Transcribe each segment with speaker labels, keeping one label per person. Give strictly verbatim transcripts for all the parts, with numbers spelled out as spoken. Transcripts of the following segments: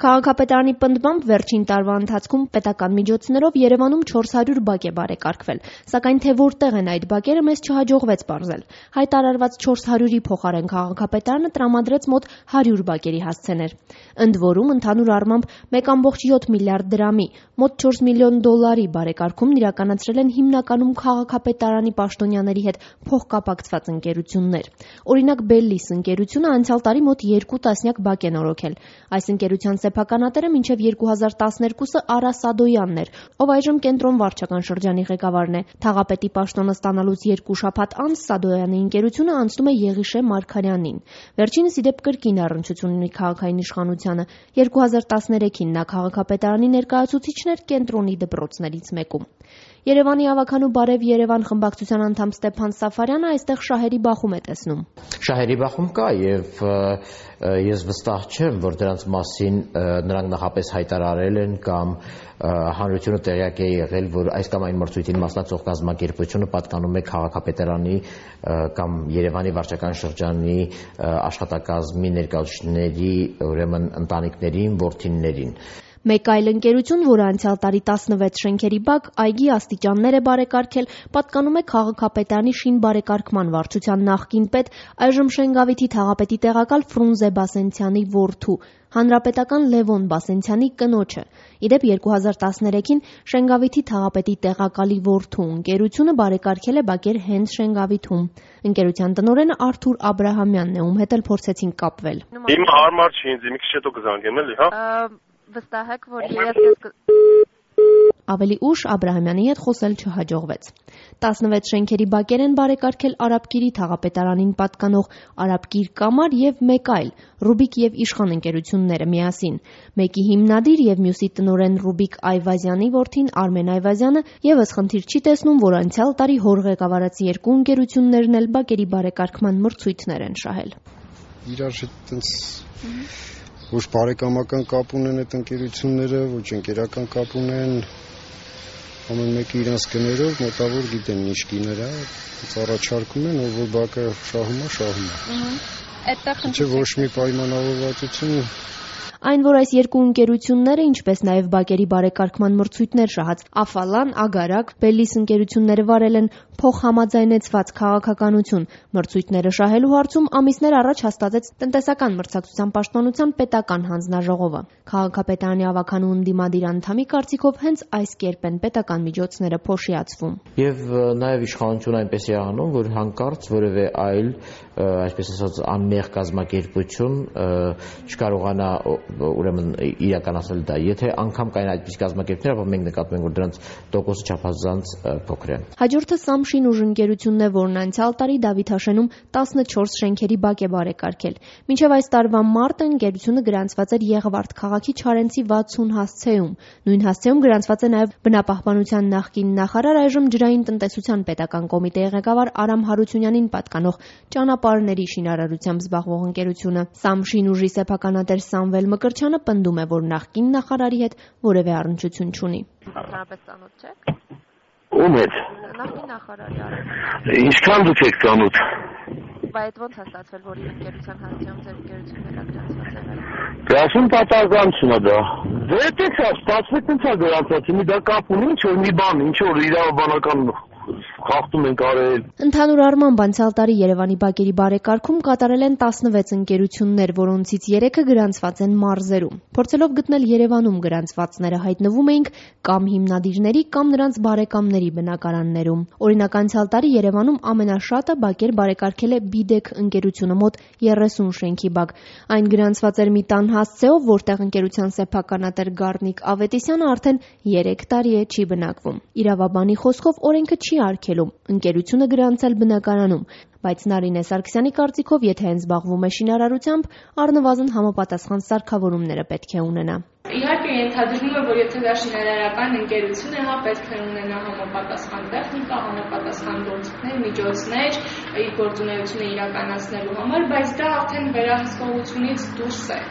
Speaker 1: Քաղաքապետարանի պնդմամբ վերջին տարվա ընթացքում պետական միջոցներով Երևանում չորս հարյուր բակ է բարեկարգվել, սակայն թե որտեղ են այդ բակերը մեզ չհաջողվեց պարզել։ Հայտարարված չորս հարյուրի փոխարեն քաղաքապետարանը տրամադրեց մոտ հարյուր բակերի հասցեներ։ Ընդ որում, ընդհանուր առմամբ մեկ կόμma յոթ միլիարդ դրամի, մոտ չորս միլիոն դոլարի բարեկարգումն իրականացրել են հիմնականում քաղաքապետարանի պաշտոնյաների հետ փոխկապակցված ընկերություններ։ Օրինակ, Bellis ընկերությունը անցյալ տարի մոտ երկու տասնյակ բակ է նորոգել։ Այս ընկերության սեփականատերը մինչև երկու հազար տասներկուսը Արա Սադոյանն էր, ով այժմ Կենտրոն վարչական շրջանի ղեկավարն է։ Թաղապետի պաշտոնը ստանալուց երկու շաբաթ անց Սադոյանի ընկերությունը անցնում է Եղիշե Մարգարյանին։ Վերջինս ի դեպ կրկին առնչություն ունի քաղաքային իշխանությանը։ երկու հազար տասներեքին նա քաղաքապետարանի ներկայացուցիչն էր Կենտրոնի դպրոցներից մեկում։ Երևանի ավագանու Բարև Երևան խմբակցության անդամ Ստեփան Սաֆարյանը այստեղ շահերի բախում է տեսնում։
Speaker 2: Շահերի բախում կա եւ ես վստահ չեմ, որ դրանց մասին նրանք նախապես հայտարարել են կամ հանրությունը տեղյակ է եղել, որ այս կամ այն մրցույթին մասնակցող կազմակերպությունը պատկանում է քաղաքապետարանի կամ Երևանի վարչական շրջանի աշխատակազմի ներկայացուցիչների, ուրեմն ընտանիքներին, որդիներին։
Speaker 1: Մեկ այլ ընկերություն, որը անցյալ տարի տասնվեց շենքերի բակ, այգի աստիճաններ է բարեկարգել, պատկանում է քաղաքապետարանի շինբարեկարգման վարչության նախկին պետ, այժմ Շենգավիթի թաղապետի տեղակալ Ֆրունզե Բասենցյանի որդու, հանրապետական Լևոն Բասենցյանի կնոջը։ Ի դեպ երկու հազար տասներեքին Շենգավիթի թաղապետի տեղակալի որդու ընկերությունը բարեկարգել է բակեր հենց Շենգավիթում։ Ընկերության տնօրենը Արթուր Աբրահամյանն է, ում հետ էլ փորձեցին կապվել։
Speaker 3: Հիմա հարմար չի ինձ, մի քիչ հետո կզանգեմ էլի, հա։
Speaker 1: Վստահ եք, որ ես ավելի ուշ Աբրահամյանի հետ խոսել չհաջողվեց։ տասնվեց շենքերի բակեր են բարեկարգել Արաբկիրի թաղապետարանին պատկանող Արաբկիր կամար եւ մեկ այլ Ռուբիկ եւ Իշխան ընկերությունները միասին։ Մեկի հիմնադիր եւ մյուսի տնօրեն Ռուբիկ Այվազյանի որդին Արմեն Այվազյանը եւս խնդիր չի տեսնում, որ անցյալ տարի հոր ղեկավարած երկու ընկերություններն էլ բակերի բարեկարգման մրցույթներ են շահել։
Speaker 4: Իրար հետ ոչ բարեկամական կապ ունեն այդ ընկերությունները, ոչ ընկերական կապ ունեն, ամեն մեկը իրենց գներով մոտավոր գիտեն ինչ գիներ է, առաջարկում են, ով որ բակը շահում է, շահում է։ Չէ ոչ մի պայմանավորվածություն։
Speaker 1: Այն, որ այս երկու ընկերությունները, ինչպես նաև բակերի բարեկարգման մրցույթներ շահած Աֆալան, Ագարակ, Bellis ընկերությունները վարել են փոխհամաձայնեցված քաղաքականություն։ Մրցույթները շահելու հարցում ամիսներ առաջ հաստատեց տնտեսական մրցակցության պաշտպանության պետական հանձնաժողովը։ Քաղաքապետարանի ավագանու ընդդիմադիր անդամի կարծիքով հենց այս կերպ են պետական միջոցները փոշիացվում։
Speaker 2: Եվ նաև իշխանությունը այնպես է անում, որ հանկարծ որևէ այլ, այսպես ասած, անմեղ կազմակերպություն չկարողանա ուրեմն իրականացնել դա։ Եթե անգամ կային այդպիսի կազմակերպություններ, ապա մենք նկատում ենք, որ դրանց տոկոսը չափազանց փոքր է։
Speaker 1: Հաջորդը Սամշին ուժ ընկերությունն է, որն անցյալ տարի Դավիթաշենում տասնչորս շենքերի բակ է բարեկարգել։ Մինչև այս տարվա մարտը ընկերությունը գրանցված էր Եղվարդ քաղաքի Չարենցի վաթսուն հասցեում։ Նույն հասցեում գրանցված է նաև բնապահպանության նախկին նախարար, այժմ ջրային տնտեսության պետական կոմիտեի ղեկավար Արամ Հարությունյանին պատկանող ճանապարհների շինարարությամբ զբաղվող ընկերությունը։ Սամշին ուժի սեփականատեր Սամվել Մկրչյանը պնդում է, որ նախկին նախարարի հետ որևէ առնչություն չունի։
Speaker 5: Ընդհանրապես ծանոթ չեք։
Speaker 3: Ում հետ։
Speaker 5: Նախկին նախարարի առ։
Speaker 3: Ինչքան դուք եք ծանոթ։
Speaker 5: Բայց այդ ո՞նց է ստացվել, որ իր ընկերության հասցեում ձեր ընկերությունները գրանցված եղել։
Speaker 3: Գրասում պատահականություն է դա։ Դե դե չա, ստացվեց ինձ է գրանցած, մի դա կապ ունի, ինչ որ մի բան, ինչ որ իրավաբանական խախտում ենք արել։
Speaker 1: Ընդհանուր առմամբ անցյալ տարի Երևանի բակերի բարեկարգում կատարել են տասնվեց ընկերություններ, որոնցից երեքը գրանցված են մարզերում։ Փորձելով գտնել Երևանում գրանցվածները հայտնվում էինք կամ հիմնադիրների, կամ նրանց բարեկամների բնակարաններում։ Օրինակ անցյալ տարի Երևանում ամենաշատը բակեր բարեկարգել է Բիդեկ ընկերությունը, մոտ երեսուն շենքի բակ։ Այն գրանցված էր մի տան հասցեով, որտեղ ընկերության սեփականատեր Գառնիկ Ավետիսյանը արդեն երեք տարի է չի բնակվում։ Իրավաբանի խոսքով օրենքը չի արգելում ընկերությունը գրանցել բնակարանում, բայց Նարինե Սարգսյանի կարծիքով, եթե այն զբաղվում է շինարարությամբ, առնվազն համապատասխան սարքավորումները պետք է ունենա։
Speaker 6: Իհարկե ենթադրվում է, որ եթե դա շինարարական ընկերություն է, հա պետք է ունենա համապատասխան տեխնիկա, համապատասխան գործիքներ, միջոցներ իր գործունեությունը իրականացնելու համար, բայց դա արդեն վերահսկողությունից դուրս է։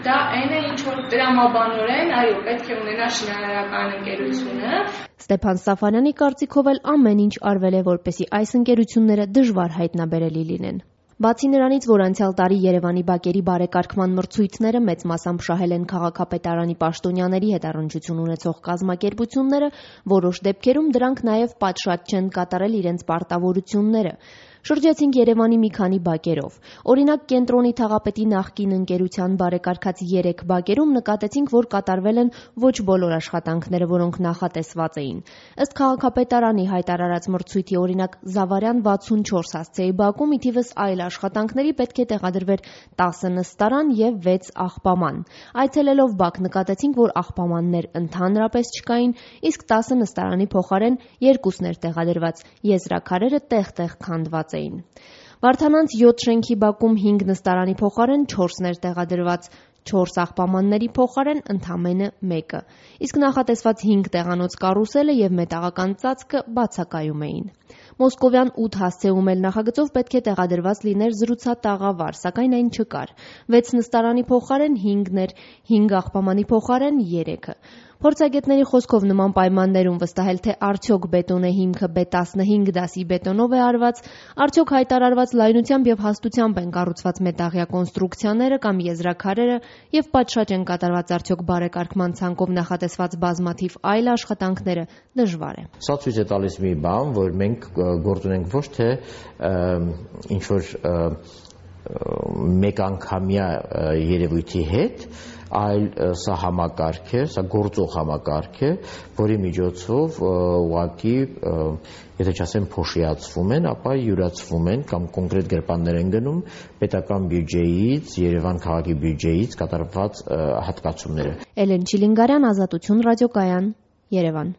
Speaker 6: Դա այն է, ինչ որ տրամաբանորեն, այո, պետք է ունենա շինարարական ընկերությունը։
Speaker 1: Ստեփան Սաֆարյանի կարծիքով էլ ամեն ինչ արվել է, որպեսզի այս ընկերությունները դժվար հայտնաբերելի լինեն։ Բացի նրանից, որ անցյալ տարի Երևանի բակերի բարեկարգման մրցույթները մեծ մասամբ շահել են քաղաքապետարանի պաշտոնյաների հետ առնչություն ունեցող կազմակերպությունները, որոշ դեպքերում դրանք նաև պատշաճ չեն կատարել իրենց պարտավորությունները։ Շրջեցինք Երևանի մի քանի բակերով։ Օրինակ, Կենտրոնի թաղապետի նախկին ընկերության բարեկարգած երեք բակերում նկատեցինք, որ կատարվել են ոչ բոլոր աշխատանքները, որոնք նախատեսված էին։ Ըստ քաղաքապետարանի հայտարարած մրցույթի օրինակ Զավարյան վաթսունչորս հասցեի բակում ի թիվս այլ աշխատանքների պետք է տեղադրվեր տասը նստարան եւ վեց աղբաման։ Այցելելով բակ նկատեցինք, որ աղբամաններ ընդհանրապես չկային, իսկ տասը նստարանի փոխարեն երկուսն էր տեղադրված, եզրաքարերը տեղ-տեղ քանդված էին։ Վարդանանց յոթ շենքի բակում հինգ նստարանի փոխարեն չորսն էր տեղադրված, չորս աղբամանների փոխարեն ընդամենը մեկը, իսկ նախատեսված հինգ տեղանոց կարուսելը եւ մետաղական ծածկը բացակայում էին։ Մոսկովյան ութ հասցեում էլ նախագծով պետք է տեղադրված լիներ զրուցատաղավար, սակայն այն չկար։ վեց նստարանի փոխարեն հինգն էր, հինգ աղբամանի փոխարեն երեքը։ Փորձագետների խոսքով նման պայմաններում վստահել, թե արդյոք բետոնե հիմքը բե տասնհինգ դասի բետոնով է արված, արդյոք հայտարարված լայնությամբ եւ հաստությամբ են կառուցված մետաղյա կոնստրուկցիաները կամ եզրաքարերը եւ պատշաճ են կատարված արդյոք բարեկարգման ցանկով նախատեսված բազմաթիվ այլ աշխատանքները դժվար է։
Speaker 2: Սա ցույց է տալիս մի բան, որ մենք գործ ունենք ոչ թե ինչ որ մեկանգամյա երևույթի հետ, այլ սա համակարգ է, սա գործող համակարգ է, որի միջոցով ուղղակի, եթե չասեմ փոշիացվում են, ապա յուրացվում են կամ կոնկրետ գրպաններ են գնում պետական բյուջեից, Երևան քաղաքի բյուջեից կատարված հատկացումները։
Speaker 1: Էլեն Չիլինգարյան, Ազատություն ռադիոկայան, Երևան։